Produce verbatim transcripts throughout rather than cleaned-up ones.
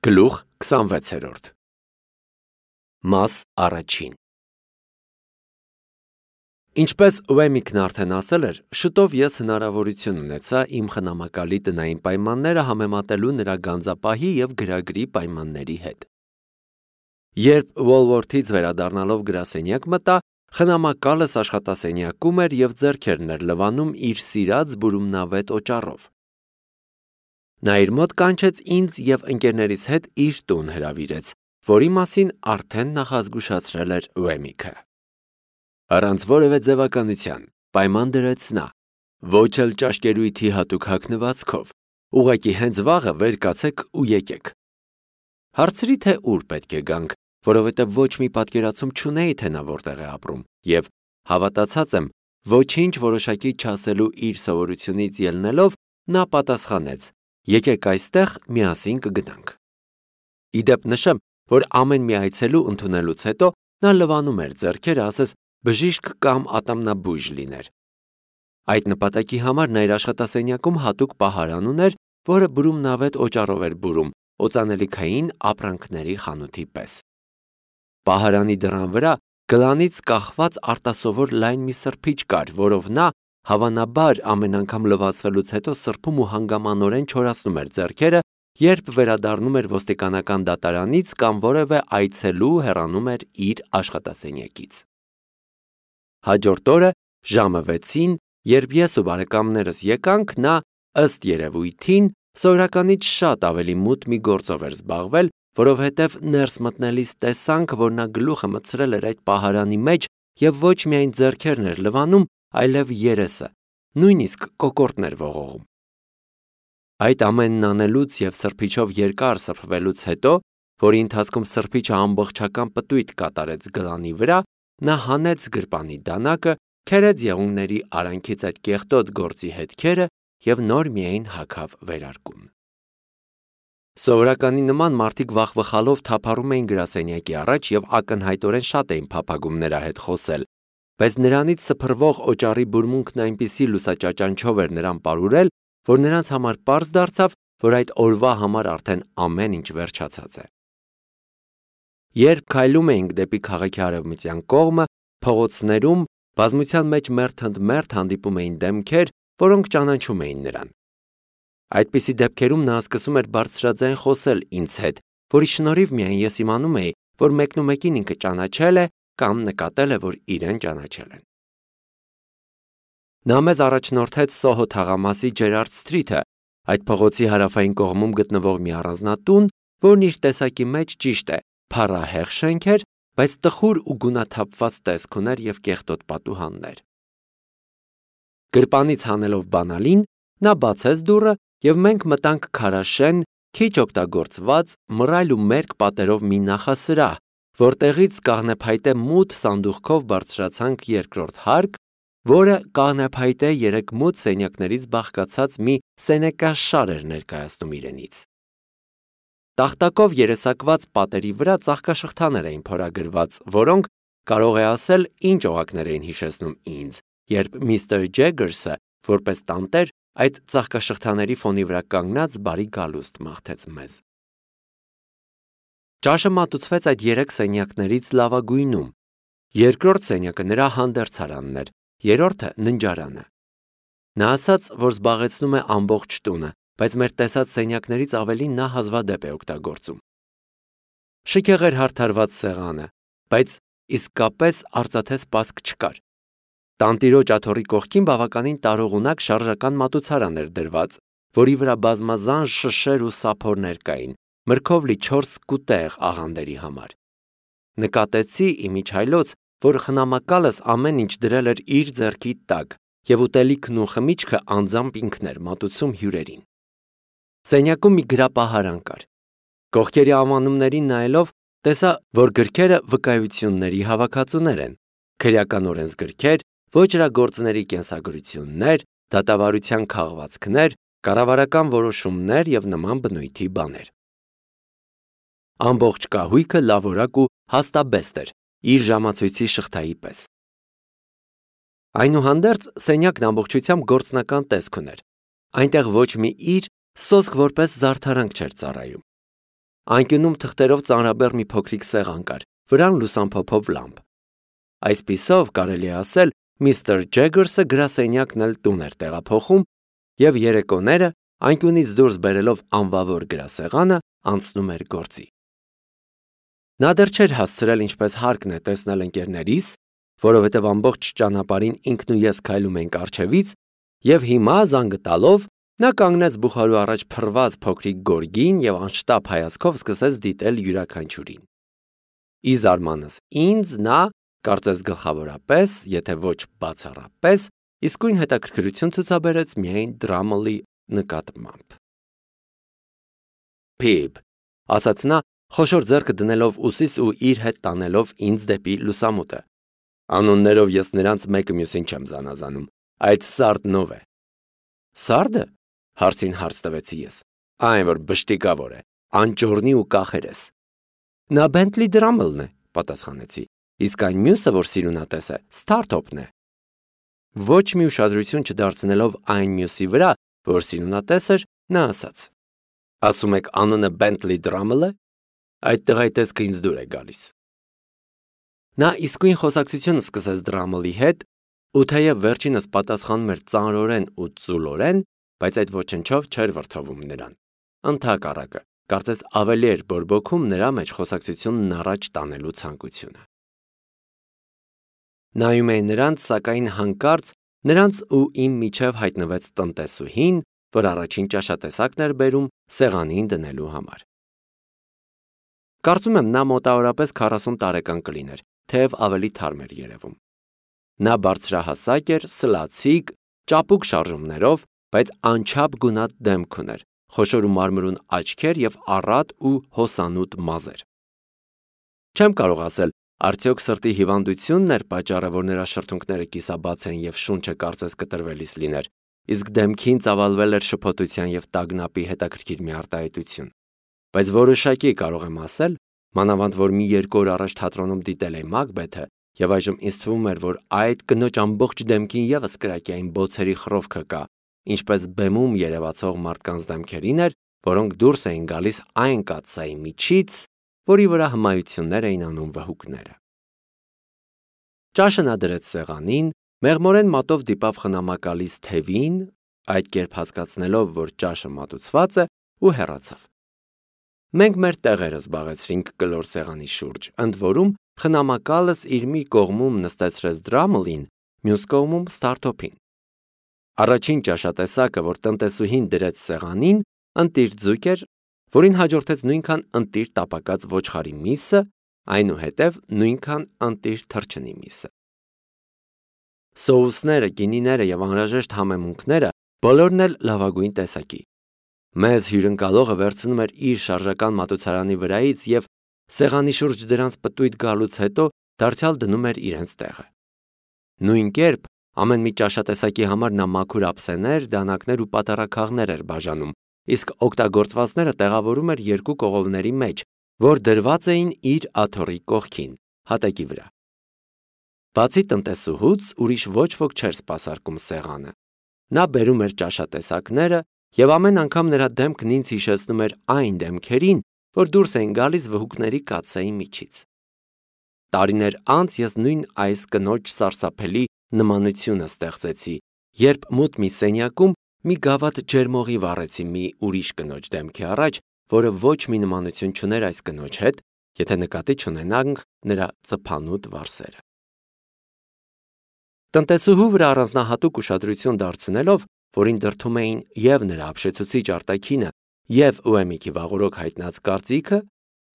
Գլուխ քսանվեցերորդ Մաս առաջին Ինչպես Ուեմիկն արդեն ասել էր, շուտով ես հնարավորություն ունեցա իմ խնամակալի տնային պայմանները համեմատելու նրա գանձապահի և գրագրի պայմանների հետ։ Երբ Ուոլվորթից վերադառնալով գրասենյակ մտա, խնամակալս աշխատասենյակում էր և ձեռքերն էր լվանում իր սիրած բուրումնավետ օճառով։ Նա իր մոտ կանչեց ինձ և ընկերներիս հետ իր տուն հրավիրեց, որի մասին արդեն նախազգուշացրել էր Ուեմիկը։ Առանց որևէ ձևականության պայման դրեց նա, ոչ էլ ճաշկերույթի հատուկ հագնվածքով, ուղղակի հենց վաղը վեր կացեք ու եկեք։ Հարցրի, թե ուր պետք է գանք, որովհետև ոչ մի պատկերացում չունեի, թե նա որտեղ է ապրում, և հավատացած եմ, ոչինչ որոշակի չասելու իր սովորությունից ելնելով, նա պատասխանեց. եկեք այստեղ միասին կգնանք։ Ի դեպ նշեմ, որ ամեն մի այցելու ընդունելուց հետո նա լվանում էր ձեռքերը, ասես բժիշկ կամ ատամնաբույժ լիներ։ Այդ նպատակի համար նա իր աշխատասենյակում հատուկ պահարան ուներ, որը բուրումնավետ օճառով էր բուրում, օծանելիքային ապրանքների խանութի պես։ Պահարանի դռան վրա գլանից կախված արտասովոր լայն մի սրբիչ կար, որով նա, հավանաբար, ամեն անգամ լվացվելուց հետո սրբում ու հանգամանորեն չորացնում էր ձեռքերը, երբ վերադառնում էր ոստիկանական դատարանից կամ որևէ այցելու հեռանում էր իր աշխատասենյակից։ Հաջորդ օրը ժամը վեցին, երբ ես ու բարեկամներս եկանք, նա, ըստ երևույթին, սովորականից շատ ավելի մութ մի գործով էր զբաղվել, որովհետև ներս մտնելիս տեսանք, որ նա գլուխը մտցրել էր այդ պահարանի մեջ և ոչ միայն ձեռքերն էր լվանում, այլև երեսը, նույնիսկ կոկորդն էր ողողում։ Այդ ամենն անելուց և սրբիչով երկար սրբվելուց հետո, որի ընթացքում սրբիչը ամբողջական պտույտ կատարեց գլանի վրա, նա հանեց գրպանի դանակը, քերեց եղունգների արանքից այդ կեղտոտ գործի հետքերը և նոր միայն հագավ վերարկուն։ Սովորականի նման մարդիկ վախվխալով թափառում էին գրասենյակի առաջ և ակնհայտորեն շատ էին փափագում նրա հետ խոսել, բայց նրանից սփռվող օճառի բուրմունքն այնպիսի լուսաճաճանչով էր նրան պարուրել, որ նրանց համար պարզ դարձավ, որ այդ օրվա համար արդեն ամեն ինչ վերջացած է։ Երբ քայլում էինք դեպի քաղաքի արևմտյան կողմը, փողոցներում բազմության մեջ մերթ ընդ մերթ հանդիպում էին դեմքեր, որոնք ճանաչում էին նրան։ Այդպիսի դեպքերում նա սկսում էր բարձրաձայն խոսել ինձ հետ, որի շնորհիվ միայն ես իմանում էի, որ մեկնումեկին ինքը ճանաչել է կամ նկատել է, որ իրեն ճանաչել են։ Նա մեզ առաջնորդեց Սոհո թաղամասի Ջերարդ Սթրիթը, այդ փողոցի հարավային կողմում գտնվող մի առանձնատուն, որն իր տեսակի մեջ ճիշտ է, փառահեղ շենք էր, բայց տխուր ու գունաթափված տեսք ուներ և կեղտոտ պատուհաններ։ Գրպանից հանելով բանալին, նա բացեց դուռը և մենք մտանք քարաշեն, քիչ օգտագործված, մռայլ ու մերկ պատերով մի նախասրահ, որտեղից կաղնեփայտե մութ սանդուղքով բարձրացանք երկրորդ հարկ, որը կաղնեփայտե երեք մութ սենյակներից բաղկացած մի սենեկաշար էր ներկայացնում իրենից։ Տախտակով երեսակված պատերի վրա ծաղկաշղթաներ էին փորագրված, որոնք, կարող է ասել, ինչ օղակներ էին հիշեցնում ինձ, երբ միստր Ջեգերսը, որպես տանտեր, այդ ծաղկաշղթաների ֆոնի վրա կանգնած բարի գալուստ մաղթեց մեզ։ Ճաշը մատուցվեց այդ երեք սենյակներից լավագույնում։ Երկրորդ սենյակը նրա հանդերձարանն էր, երրորդը ննջարանը։ Նա ասաց, որ զբաղեցնում է ամբողջ տունը, բայց մեր տեսած սենյակներից ավելի նա հազվադեպ է օգտագործում։ Շքեղ էր հարդարված սեղանը, բայց իսկապես արծաթե սպասք չկար։ Տանտիրոջ աթոռի կողքին բավականին տարողունակ շարժական մատուցարան էր դրված, որի վրա բազմազան շշեր ու սափորներ կային, մրգով լի չորս կուտեղ աղանդերի համար։ Նկատեցի իմիջայլոց, որ խնամակալս ամեն ինչ դրել էր իր ձեռքի տակ, և ուտելիքն ու խմիչքը անձամբ ինքն էր մատուցում հյուրերին։ Սենյակում մի գրապահարան կար։ Կողքերի անվանումներին նայելով, տեսա, որ գրքերը վկայությունների հավաքածուներ են, քրեական օրենսգրքեր, ոճրագործների կենսագրություններ, դատավարության քաղվածքներ, կառավարական որոշումներ և նման բնույթի բաներ։ Ամբողջ կահույքը լավորակ ու հաստաբեստ էր, իր ժամացույցի շղթայի պես։ Այնուհանդերձ սենյակն ամբողջությամբ գործնական տեսք ուներ։ Այնտեղ ոչ մի իր, սոսկ որպես զարդարանք չէր ծառայում։ անկյունում թղթերով ծանրաբեռ մի փոքրիկ սեղան կար, վրան լուսամփոփով լամպ։ Այսպիսով կարելի է ասել, միստր Ջեգերսը գրասենյակն էլ տուն էր տեղափոխում և երեկոները, անկյունից դուրս բերելով անվավոր գրասեղանը, անցնում էր գործի։ Նա դեռ չէր հասցրել ինչպես հարկն է տեսնել ընկերներիս, որովհետև ամբողջ ճանապարհին ինքն ու ես քայլում ենք առջևից, և հիմա զանգը տալով նա կանգնեց բուխարու առաջ փռված փոքրիկ գորգին և անշտապ հայացքով սկսեց դիտել յուրաքանչյուրին։ Ի զարմանս ինձ նա, կարծես գլխավորապես, եթե ոչ բացառապես, իսկույն հետաքրքրություն ցուցաբերեց միայն Դրամլի նկատմամբ։ Փիբ, ասաց նա, խոշոր ձեռքը դնելով ուսիս ու իր հետ տանելով ինձ դեպի լուսամուտը։ Անուններով ես նրանց մեկը մյուսին չեմ զանազանում, այդ Սարդն ով է։ Սարդը, հարցին հարց տվեցի ես։ Այն, որ բշտիկավոր է, անճոռնի ու կախերես։ Նա Բենթլի Դրամլն է, պատասխանեցի, իսկ այն մյուսը, որ սիրունատես է, Սթարթոփն է։ Ոչ մի ուշադրություն չդարձնելով այն մյուսի վրա, որ սիրունատես էր, նա ասաց. Ասում եք անունը Բենթլի Դրամլ է։ Այդ տղայի տեսքը ինձ դուր է գալիս։ Նա իսկույն խոսակցություն սկսեց Դրամլի հետ, ու թեև վերջինս պատասխանում էր ծանրորեն ու ծուլորեն, բայց այդ ոչնչով չէր վրդովում նրան։ Ընդհակառակը, կարծես ավելի էր բորբոքում նրա մեջ խոսակցությունն առաջ տանելու ցանկությունը։ Նայում էի նրանց, սակայն հանկարծ նրանց ու իմ միջև հայտնվեց տնտեսուհին, որ առաջին ճաշատեսակն էր բերում սեղանին դնելու համար։ Կարծում եմ նա մոտավորապես քառասուն տարեկան կլիներ, թեև ավելի թարմ էր երևում։ Նա բարձրահասակ էր, սլացիկ, ճապուկ շարժումներով, բայց անչափ գունատ դեմք ուներ, խոշոր ու մարմրուն աչքեր և առատ ու հոսանուտ մազեր։ Չեմ կարող ասել, արդյոք սրտի հիվանդությունն էր պատճառը, որ նրա շրթունքները կիսաբաց են և շունչը կարծես կտրվելիս լիներ, իսկ դեմքին ծավալվել էր շփոթության և տագնապի հետաքրքիր մի արտահայտություն։ Բայց որոշակի կարող եմ ասել, մանավանդ որ մի երկու օր առաջ թատրոնում դիտել էի Մակբեթը, և այժմ ինձ թվում էր, որ այդ կնոջ ամբողջ դեմքին ևս կրակյային բոցերի խռովքը կա, ինչպես բեմում երևացող մարդկանց դեմքերին էր, որոնք դուրս էին գալիս այն կաթսայի միջից, որի վրա հմայություններ էին անում վհուկները։ Ճաշը նա դրեց սեղանին, մեղմորեն մատով դիպավ խնամակալից թևին, այդ կերպ հասկացնելով, որ ճաշը մատուցված է, ու հեռացավ։ Մենք մեր տեղերը զբաղեցրինք կլոր սեղանի շուրջ, ընդ որում խնամակալս իր մի կողմում նստեցրեց Դրամլին, մյուս կողմում Սթարթոփին։ Առաջին ճաշատեսակը, որ տնտեսուհին դրեց սեղանին, ընտիր ձուկ էր, որին հաջորդեց նույնքան ընտիր տապակած ոչխարի միսը, այնուհետև նույնքան ընտիր թռչնի միսը։ Սոուսները, գինիները և անհրաժեշտ համեմունքները բոլորն էլ լավագույն տեսակի։ Մեզ հյուրընկալողը վերցնում էր իր շարժական մատուցարանի վրայից և սեղանի շուրջ դրանց պտույտ գալուց հետո դարձյալ դնում էր իրենց տեղը։ Նույն կերպ ամեն մի ճաշատեսակի համար նա մաքուր ափսեներ, դանակներ ու պատառաքաղներ էր բաժանում, իսկ օգտագործվածները տեղավորում էր երկու կողովների մեջ, որ դրված էին իր աթոռի կողքին, հատակի վրա։ Բացի տնտեսուհուց ուրիշ ոչ ոք չէր սպասարկում սեղանը։ Նա բերում էր ճաշատեսակները, և ամեն անգամ նրա դեմքն ինձ հիշեցնում էր այն դեմքերին, որ դուրս էին գալիս վհուկների կաթսայի միջից։ Տարիներ անց ես նույն այս կնոջ սարսափելի նմանությունը ստեղծեցի, երբ մութ մի սենյակում մի գավաթ ջերմողի վառեցի մի ուրիշ կնոջ դեմքի առաջ, որը ոչ մի նմանություն չուներ այս կնոջ հետ, եթե նկատի չունենանք նրա ծփանուտ վարսերը։ Տնտեսուհու վրա առանձնահատուկ ուշադրություն դարձնելով, որին դրդում էին և նրա ապշեցուցիչ արտաքինը, և Ուեմիքի վաղօրոք հայտնած կարծիքը,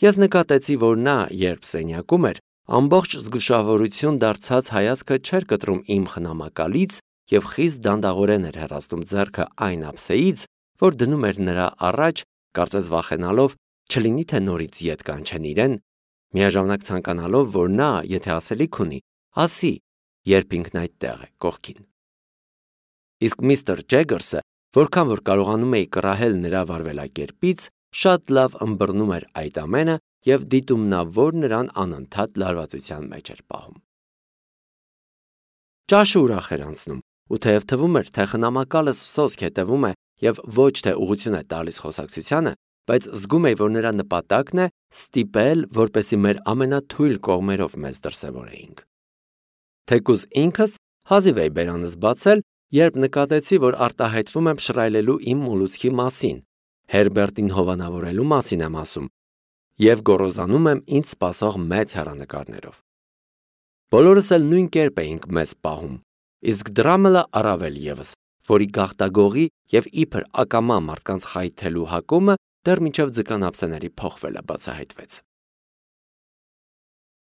ես նկատեցի, որ նա, երբ սենյակում էր, ամբողջ զգուշավորություն դարձած հայացքը չէր կտրում իմ խնամակալից և խիստ դանդաղորեն էր հեռացնում ձեռքը այն ափսեից, որ դնում էր նրա առաջ, կարծես վախենալով, չլինի թե նորից ետ կանչեն իրեն, միաժամանակ ցանկանալով, որ նա, եթե ասելիք ունի, ասի, երբ ինքն այդտեղ է, կողքին։ Իսկ միստր Ջեգերսը, որքան որ կարողանում էի կռահել նրա վարվելակերպից, շատ լավ ըմբռնում էր այդ ամենը և դիտումնավոր նրան անընդհատ լարվածության մեջ էր պահում։ Ճաշը ուրախ էր անցնում, ու թեև թվում էր, թե խնամակալս սոսկ հետևում է և ոչ թե ուղղություն է տալիս խոսակցությանը, բայց զգում էի, որ նրա նպատակն է ստիպել, որպեսզի մեր ամենաթույլ կողմերով մեզ դրսևորեինք։ Թեկուզ ինքս հազիվ էի բերանս բացել, երբ նկատեցի, որ արտահայտվում եմ շռայլելու իմ մոլուցքի մասին, Հերբերտին հովանավորելու մասին եմ ասում, և գոռոզանում եմ ինձ սպասող մեծ հեռանկարներով։ Բոլորս էլ նույն կերպ էինք մեզ պահում, իսկ Դրամելը առավել ևս, որի գաղտագողի և իբր ակամա մարդկանց խայթելու հակումը դեռ մինչև ձկան ափսեների փոխվելը բացահայտվեց։